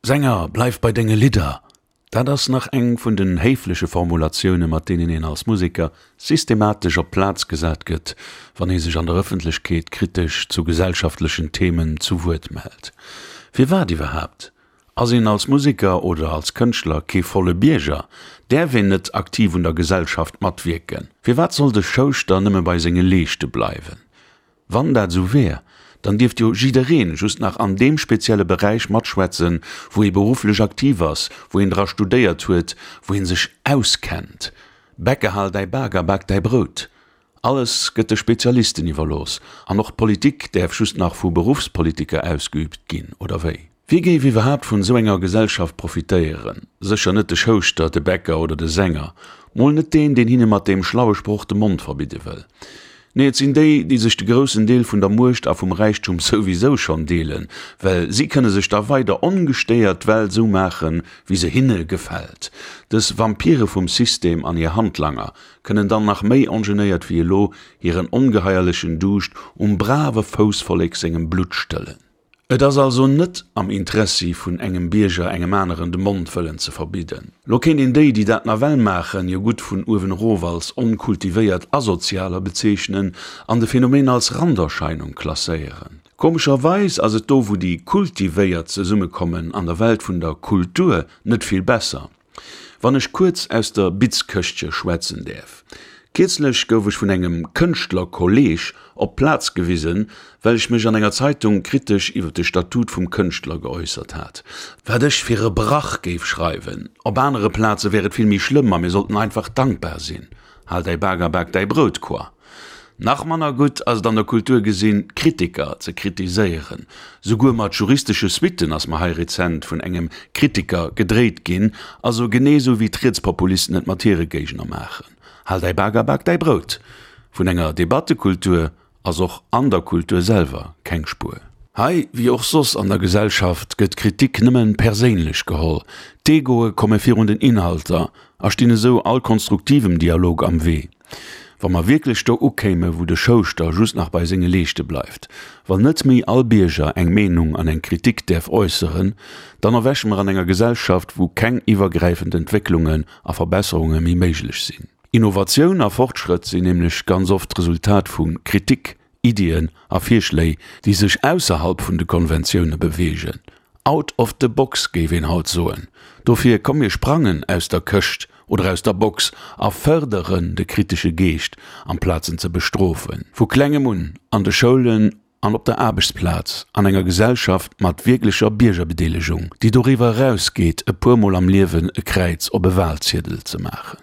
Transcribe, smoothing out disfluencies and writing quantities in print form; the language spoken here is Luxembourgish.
Sänger, bleif bei denge Lidder! Dat ass nach eng vun den héifleche Formulatioune mat deenen een als Museker systematesch op d'Plaz gesat gëtt, wann ee sech an der Ëffentlechkeet kritesch zu gesellschaftlechen Themen zu Wuert mellt. Firwat iwwerhaapt? Ass een als Museker oder als Kënschtler kee volle Bierger? Däerf een net aktiv un der Gesellschaft matwierken? Firwat soll de Schouschter nëmme bei senge Leeschte bleiwen? Wann dat esou wär, dann dierft jo jiddereen just nach an deem spezielle Beräich matschwätzen, wou ee berufflech aktiv ass, wou een dra studéiert huet, wou ee sech auskennt. Bäcker hal däi Bak a bak däi Brout. Alles gëtt de Spezialisten iwwerlooss an och d'Politik däerf just nach vu Beruffspolitiker ausgeübt ginn, oder wéi? Wie géif iwwerhaapt vun esou enger Gesellschaft profitéieren? Sécher net de Schouschter, de Bäcker oder de Sänger. Mol net deen, deen hinne mat deem schlaue Sproch de Mond verbidde wëll. Nee, et sinn déi, déi sech de groussen Deel vun der Muecht a vum Räichtum souwisou schonn deelen, well si kënne sech da weider ongestéiert d'Welt esou maachen, wéi se hinne gefält. Dës Vampire vum System an hir Handlanger kënnen dann nach méi ongenéiert wéi elo hiren ongeheierlechen Duuscht um brave Foussvollek sengem Blutt stëllen. Et ass also net am Interessi vun engem Bierger engem aneren de Mond wëllen ze verbidden. Lo kéint een déi, déi dat nawell maachen, jo gutt vun uewen erof als onkultivéiert Asozialer bezeechnen an de Phänomen als Randerscheinung klasséieren. Komescherweis ass et do wou déi Kultivéiert zesummekommen an der Welt vun der Kultur net vill besser. Wann ech kuerz aus der Bitzkëschtche schwätzen däerf. Kierzlech gouf ech vun engem Kënschtlerkolleeg op d'Plaz gewisen, well ech mech an enger Zeitung kritesch iwwer de Statut vum Kënschtler geäussert hat. Wat ech fir e Brach géif schreiwen! Op anere Plaze wär et vill méi schlëmm a mir sollten einfach dankbar sinn. Hal däi Bak a bak däi Brout, quoi. Nach manner gutt ass et an der Kultur gesinn, Kritiker ze kritiséieren. Souguer mat juristesche Suitten ass mer hei rezent vun engem Kritiker gedréit ginn, also genee sou wéi d'Rietspopulisten et mat hire Géigner maachen. Hal däi Bak a bak däi Brout! Vun enger Debattekultur ass och an der Kultur selwer keng Spuer. Hei, wéi och soss an der Gesellschaft, gëtt Kritik nëmme perséinlech geholl, d'Egoe komme virun den Inhalter a stinn esou all konstruktivem Dialog am Wee. Wa mer wierklech do ukéime wou de Schouschter just nach bei senge Leeschte bleift, wann net méi all Bierger eng Meenung an eng Kritik däerf äusseren, dann erwäche mer an enger Gesellschaft, wou keng iwwergräifend Entwécklungen a Verbesserunge méi méiglech sinn. Innovatioun a Fortschrëtt sinn nämlech ganz oft d'Resultat vu Kritik, Iddien a Virschléi, déi sech ausserhalb vun de Konventioune beweegen. Out of the box, géif een haut soen. Dofir, komm mir sprangen aus der Këscht oder aus der Box a fërderen de kritesche Geescht, amplaz en ze bestrofen. Vu klengem un, an de Schoulen an op der Aarbechtsplaz, an enger Gesellschaft mat wierklecher Biergerbedeelegung, déi doriwwer erausgeet, e puermol am Liewen e Kräiz op e Walziedel ze maachen.